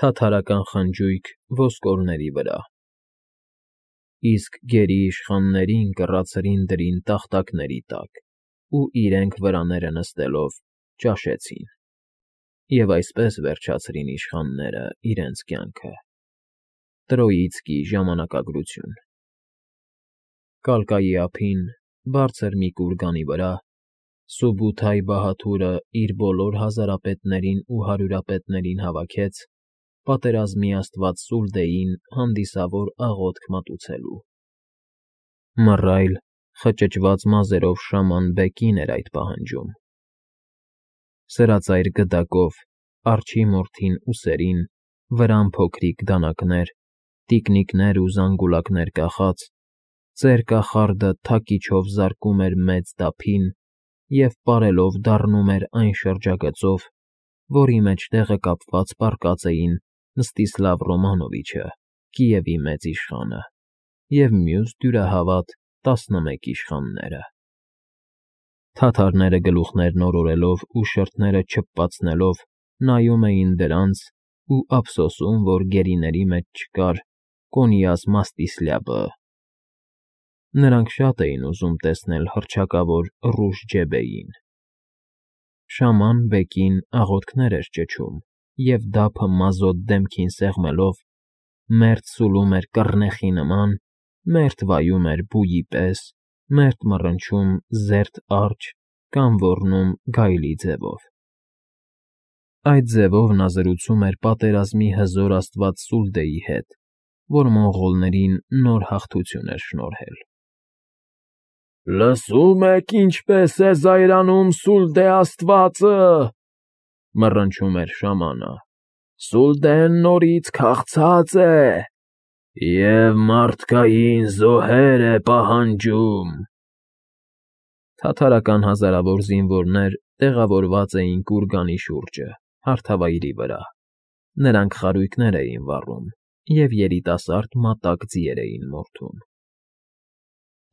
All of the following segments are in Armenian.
Թաթարական խնջույք ոսկորների վրա։ Իսկ գերի իշխաններին կռացրին դրին տախտակների տակ ու իրենք վրաները նստելով ճաշեցին, և այսպես վերջացրին իշխանները իրենց կյանքը։ Տրոյիցկի ժամանակագրություն։ Կալկայի ափին, բարձր մի կուրգանի վրա, Սուբութայ բահադուրը իր բոլոր հազարապետներին ու հարյուրապետներին հավաքեց պատերազմի աստված Սուլդեին հանդիսավոր աղոթք մատուցելու։ Մռայլ, խճճված մազերով շաման Բեկին էր այդ պահանջում։ Սրածայր գդակով, արջի մորթին ուսերին, վրան փոքրիկ դանակներ, տիկնիկներ ու զանգուլակներ կախած, ծեր կախարդը թակիչով զարկում էր մեծ դափին և պարելով դառնում էր այն շրջագծով, որի մեջտեղը կապված պառկած էին Մստիսլավ Ռոմանովիչը, Կիևի մեծ իշխանը, և մյուս դյուրահավատ 11 իշխանները։ Թաթարները գլուխներն օրորելով ու շրթները չփպացնելով նայում էին դրանց ու ափսոսում, որ գերիների մեջ չկար Կոնյազ Մաստիսլյաբը։ Նրանք շատ էին ուզում տեսնել հռչակավոր Ռուժջեբեին։ Շաման Բեկին աղոթքներ էր ճչում և դափը մազոտ դեմքին սեղմելով մերթ սուլում էր կռնեխի նման, մերթ վայում էր բույի պես, մերթ մռնչում զերծ արջը կամ ոռնում գայլի ձևով։ Այդ ձևով նա զրուցում էր պատերազմի հզոր աստված Սուլդեի հետ, որ մոնղոլներին նոր հաղթություն էր շնորհել։ «Լսո՞ւմ եք, ինչպես է զայրանում Սուլդե աստվածը,֊ մռնչում էր շամանը,֊ Սուլդեն նորից քաղցած է և մարդկային զոհեր է պահանջում»։ Թաթարական հազարավոր զինվորներ տեղավորված էին կուրգանի շուրջը, հարթավայրի վրա։ Նրանք խարույկներ էին վառում և երիտասարդ մատակ ձիեր էին մորթում։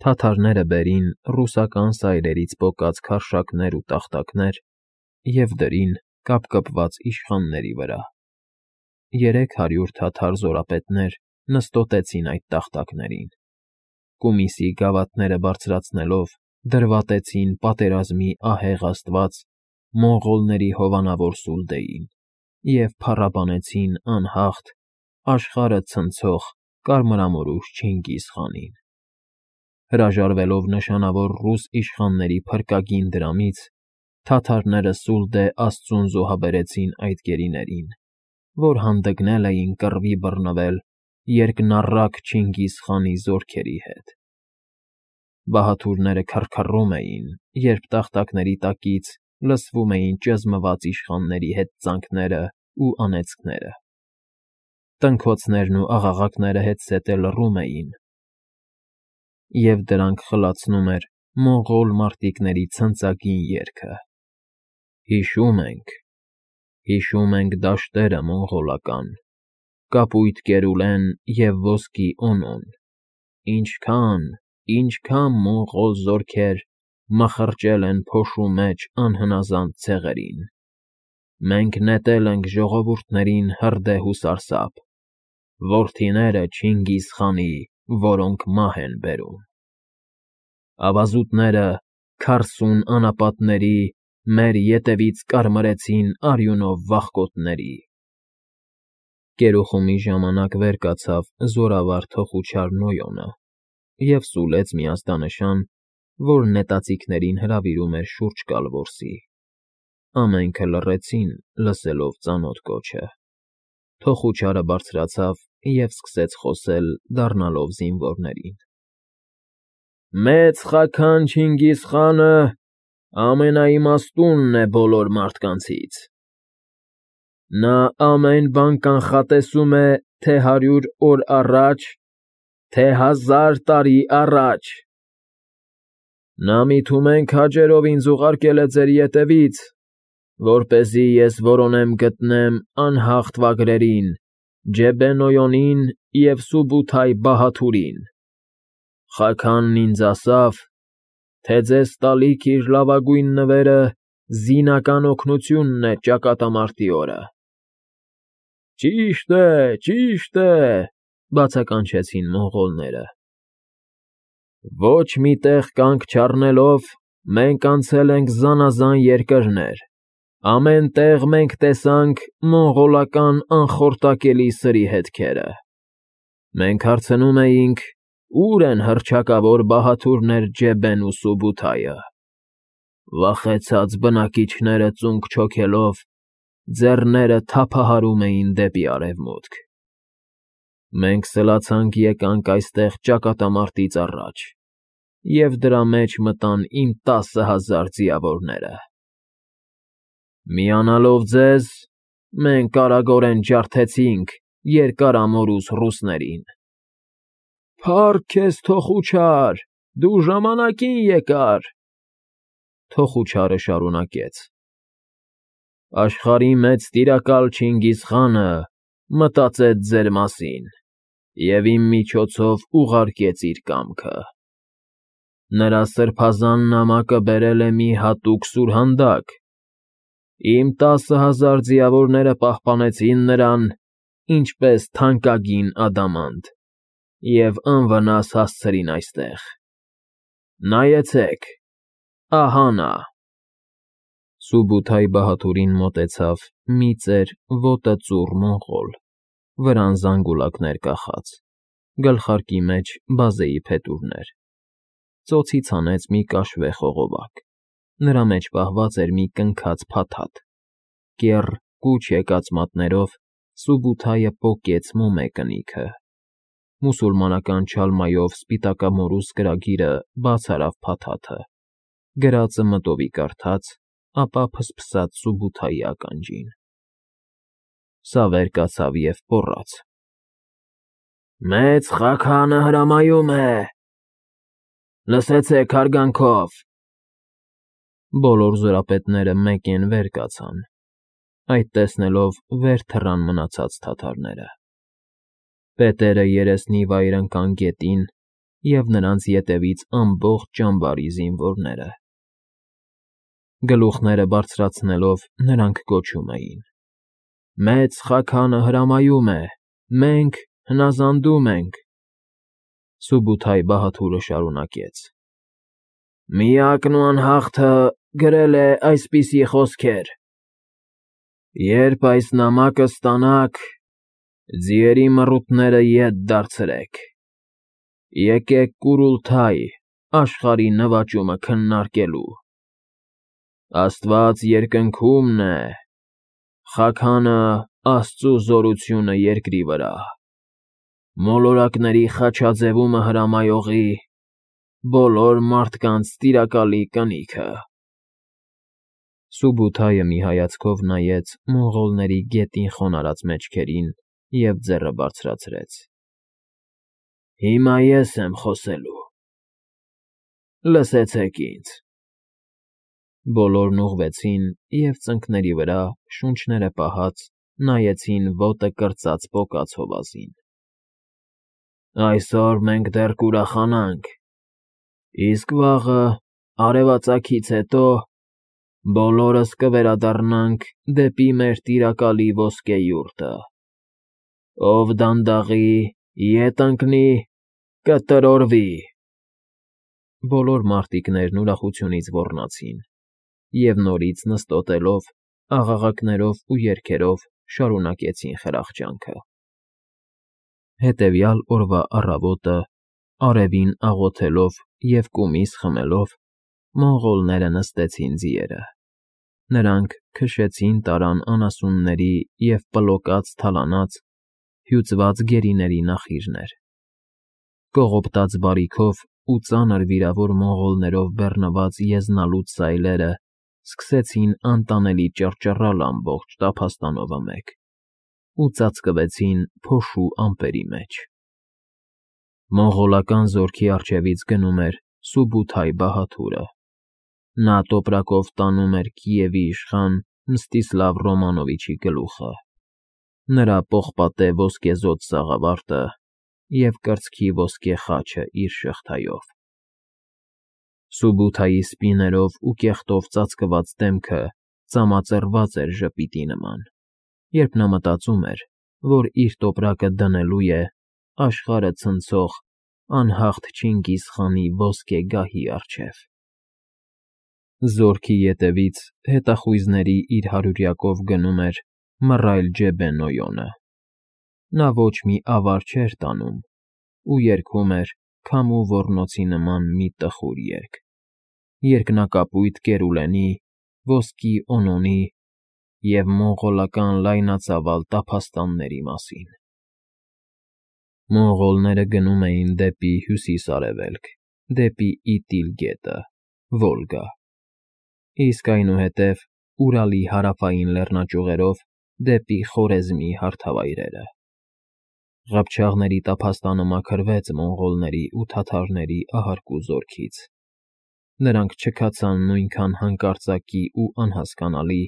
Թաթարները բերին ռուսական սայրերից պոկած քարշակներ ու տախտակներ և դրին կապկպված իշխանների վրա։ 300 թաթար զորապետներ նստոտեցին այդ տախտակներին, կումիսի գավաթները բարձրացնելով դրվատեցին պատերազմի ահեղ աստված մոնղոլների հովանավոր Սուլդեին և փառաբանեցին անհաղթ, աշխարհը ցնցող կարմրամորուք Չինգիզ խանին։ Հրաժարվելով նշանավոր ռուս իշխանների փրկագին դրամից, թաթարները Սուլդե աստծուն զոհաբերեցին այդ գերիներին, որ հանդգնել էին կռվի բռնվել երկնառակ Չինգիզ խանի զորքերի հետ։ Բահադուրները քռքռում էին, երբ տախտակների տակից լսվում էին ճզմված իշխանների հեծանքներն ու անեծքները։ Տնքոցներն ու աղաղակները հետզհետե լռում էին, և դրանք խլացնում էր մոնղոլ մարտիկների ցնծագին երգը. Հիշում ենք դաշտերը մոնղոլական, կապույտ կերուլեն և ոսկի օնոն, ինչքան մոնղոլ զորքեր մխրճել են փոշու մեջ անհնազանդ ցեղերին։ Մենք նետել ենք ժողովուրդներին հրդեհ ու սարսափ, որդիները Չինգիզ խանի, որոնք մահ են բերում։ Ավազուտները 40 անապատների մեր ետևից կարմրեցին արյունով վախկոտների։ Կերուխումի ժամանակ վեր կացավ զորավար թոխուչար Նոյոնը և սուլեց մի ազդանշան, որ նետաձիգներին հրավիրում էր շուրջ գալ որսի։ Ամենքը լռեցին, լսելով ծանոթ կոչը։ Թոխուչարը բարձրացավ և սկսեց խոսել, դառնալով զինվորներին. «Մեծ Խաքան Չինգիզ խանը ամենաիմաստունն է բոլոր մարդկանցից։ Նա ամեն բան կանխատեսում է թե 100 օր առաջ, թե 1000 տարի առաջ։ Նա միթումենք քաջերով ինձ ուղարկել է ձեր ետևից, որպեսզի ես որոնեմ գտնեմ անհաղթ վագրերին, Ջեբե֊Նոյոնին և Սուբութայ Բահադուրին։ Խաքանն ինձ ասավ, թե ձեզ տալիք իր լավագույն նվերը զինական օգնությունն է ճակատամարտի օրը։ Ճիշտ է, բացականչեցին մոնղոլները։ Ոչ մի տեղ կանգ չառնելով, մենք անցել ենք զանազան երկրներ, ամեն տեղ մենք տեսանք մոնղոլական անխորտակելի սրի հետքերը։ Մենք հարցնում էինք, ուր են հռչակավոր բահաթուրներ Ջեբեն ու Սուբութայը։ Վախեցած բնակիչները ծունկ չոքելով, ձեռները թափահարում էին դեպի արևմուտք։ Մենք սլացանք եկանք այստեղ ճակատամարտից առաջ, և դրա մեջ մտան իմ 10,000 ձիավորները։ Միանալով ձեզ, մենք արագորեն ջարդեցինք երկարամորուս ռուսներին։ Փառք քեզ, Թոխուչար, դու ժամանակին եկար, Թոխուչարը շարունակեց։ Աշխարհի մեծ տիրակալ Չինգիզ խանը մտածեց ձեր մասին և իմ միջոցով ուղարկեց իր կամքը։ Նրա սրբազան նամակը բերել է մի հատուկ սուրհանդակ։ Իմ 10,000 ձիավորները պահպանեցին նրան, ինչպես թանկագին ադամանտ, և անվնաս հասցրին այստեղ։ Նայեցեք, ահա նա։ Սուբութայ բահաթուրին մոտեցավ մի ծեր ոտը ծուռ մոնղոլ, վրան զանգուլակներ կախած, գլխարկի մեջ բազեի փետուրներ, ծոցից հանեց մի կաշվե խողովակ, նրա մեջ պահված էր մի կնքած փաթաթ, կեռ կուչ եկած մատներով Սուբութայը պոկեց մոմե կնիքը, մուսուլմանական չալմայով սպիտակամորուս գրագիրը բաց արավ փաթաթը, գրածը մտովի կարդաց, ապա փսփսաց Սուբութայի ականջին։ Սա վեր կացավ և պոռաց. Մեծ Խաքանը հրամայում է։ Լսեցեք հարգանքով։ Բոլոր զորապետները մեկեն վեր կացան, այդ տեսնելով վեր թռան մնացած թաթարները։ Պետերը երեսնի վայր ընկան գետին և նրանց ետևից ամբողջ ճամբարի զինվորները։ Գլուխները բարձրացնելով նրանք գոչում էին. Մեծ Խաքանը հրամայում է, մենք հնազանդում ենք։ Սուբութայ բահաթուրը շարունակեց. Միակն ու անհաղթը գրել է այսպիսի խոսքեր. Երբ այս նամակը ստանաք, ձիերի մռութները ետ դարձրեք, եկեք Կուրուլթայ, աշխարհի նվաճումը քննարկելու։ Աստված երկնքում է, Խաքանը Աստծու զորությունը երկրի վրա, մոլորակների խաչաձևումը հրամայողի, բոլոր մարդկանց տիրակալի կնիքը։ Սուբութայը մի հայացքով նայեց մոնղոլների գետին խոնարհած մեջքերին և ձեռը բարձրացրեց։ Հիմա ես եմ խոսելու։ Լսեցեք ինձ։ Բոլորն ուղղվեցին և ծնկների վրա, շունչները պահած, նայեցին ոտը կրծած պոկած հովազին։ Այսօր մենք դեռ կուրախանանք, իսկ վաղը, արևածագից հետո, բոլորս կվերադառնանք դեպի մեր տիրակալի ոսկե յուրտը։ Ով դանդաղի, ետ ընկնի, կտրորվի։ Բոլոր մարտիկներն ուրախությունից ոռնացին և նորից նստոտելով, աղաղակներով ու երգերով շարունակեցին խրախճանքը։ Հետևյալ օրվա առավոտը, արևին աղոթելով և կումիս խմելով, մոնղոլները նստեցին ձիերը։ Նրանք քշեցին տարան անասունների և պլոկած թալանած, հյուծված գերիների նախիրներ։ Կողոպտած բարիքով ու ծանր վիրավոր մոնղոլներով բեռնված եզնալուց սայլերը սկսեցին անտանելի ճռճռալ ամբողջ տափաստանովը մեկ ու ծածկվեցին փոշու ամպերի մեջ։ Մոնղոլական զորքի առջևից գնում էր Սուբութայ բահաթուրը։ Նա տոպրակով տանում էր Կիևի իշխան Մստիսլավ Ռոմանովիչի գլուխը, նրա պողպատե ոսկեզօծ սաղավարտը և կրծքի ոսկե խաչը իր շղթայով։ Սուբութայի սպիներով ու կեղտով ծածկված դեմքը ծամածռված էր ժպիտի նման, երբ նա մտածում էր, որ իր տոպրակը դնելու է աշխարհը ցնցող անհաղթ Չինգիզ խանի ոսկե գահի առջև։ Զորքի ետևից հետախույզների իր հարյուրյակով գնում էր մռայլ Ջեբեն Օյոնը։ Նա ոչ մի ավար չէր տանում ու երգում էր քամու ոռնոցի նման մի տխուր երգ, երկնակապույտ կերուլենի, ոսկի Օնոնի և մոնղոլական լայնածավալ տափաստանների մասին։ Մոնղոլները գնում էին դեպի հյուսիս֊արևելք, դեպի Իտիլ գետը, Վոլգա, իսկ այնուհետև Ուրալի հարավային լեռնաճյուղերով դեպի Խորեզմի հարթավայրերը։ Ղափչաղների տափաստանը մաքրվեց մոնղոլների ու թաթարների ահարկու զորքից։ Նրանք չքացան նույնքան հանկարծակի ու անհասկանալի,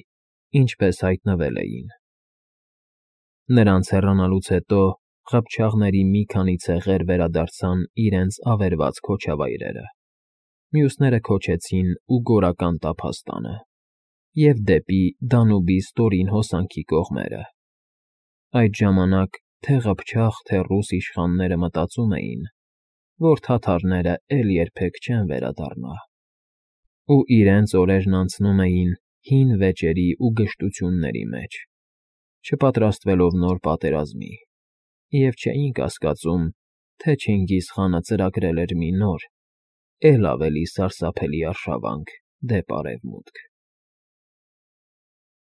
ինչպես հայտնվել էին։ Նրանց հեռանալուց հետո ղափչաղների մի քանի ցեղեր վերադարձան իրենց ավերված քոչավայրերը, մյուսները քոչեցին Ուգորական տափաստանը և դեպի Դանուբի ստորին հոսանքի կողմերը։ Այդ ժամանակ թե ղփչաղ, թե ռուս իշխանները մտածում էին, որ թաթարները էլ երբեք չեն վերադառնա, ու իրենց օրերն անցնում էին հին վեճերի ու գժտությունների մեջ, չպատրաստվելով նոր պատերազմի, և չէին կասկածում, թե Չինգիզ խանը ծրագրել էր մի նոր, էլ ավելի սարսափելի արշավանք դեպ արևմուտք։